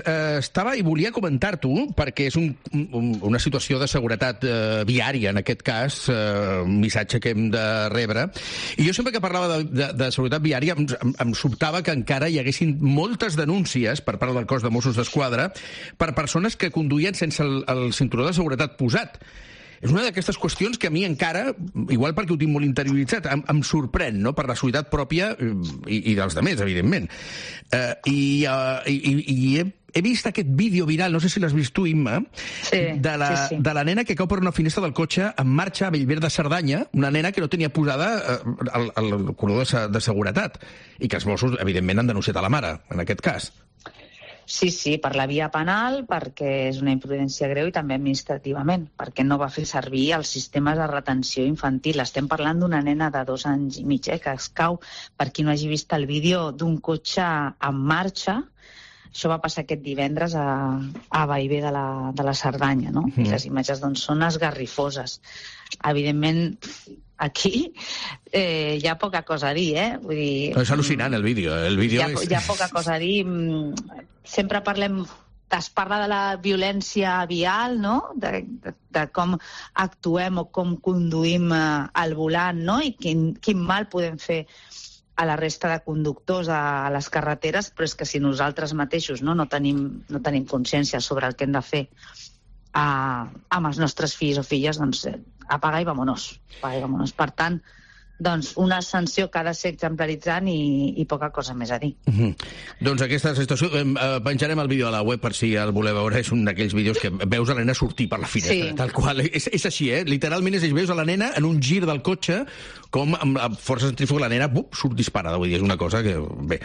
Estava i volia comentar-t'ho perquè és una situació de seguretat viària, en aquest cas, un missatge que hem de rebre. I jo sempre que parlava de seguretat viària em sobtava que encara hi haguessin moltes denúncies per part del cos de Mossos d'Esquadra per persones que conduïen sense el cinturó de seguretat posat. És una d'aquestes qüestions que a mi encara, igual perquè ho tinc molt interioritzat, em sorprèn, no?, per la seguretat pròpia i dels altres, evidentment. I he vist aquest vídeo viral, no sé si l'has vist tu, Imma, de la nena que cau per una finestra del cotxe en marxa a Bellver de Cerdanya, una nena que no tenia posada el cordó de seguretat, i que els Mossos, evidentment, han denunciat a la mare, en aquest cas. Sí, per la via penal, perquè és una imprudència greu, i també administrativament, perquè no va fer servir els sistemes de retenció infantil. Estem parlant d'una nena de 2 anys i mig, que es cau, per qui no hagi vist el vídeo, d'un cotxe en marxa. Això va passar aquest divendres a Bellver de la Cerdanya, no? I les imatges, doncs, són esgarrifoses. Evidentment, aquí hi ha poca cosa a dir, Vull dir, és al·lucinant, el vídeo. Hi ha poca cosa a dir. Sempre es parla de la violència vial, no?, de com actuem o com conduïm al volant, no?, i quin mal podem fer a la resta de conductors a les carreteres, però és que si nosaltres mateixos no tenim consciència sobre el que hem de fer amb els nostres fills o filles, doncs apaga i vámonos. Per tant, doncs una sanció que ha de ser exemplaritzant i poca cosa més a dir. Doncs aquesta situació, penjarem el vídeo a la web per si el voleu veure. És un d'aquells vídeos que veus a la nena sortir per la finestra, tal qual. És així, literalment veus a la nena en un gir del cotxe, com amb la força centrífuga la nena surt disparada. Vull dir, és una cosa que... Bé.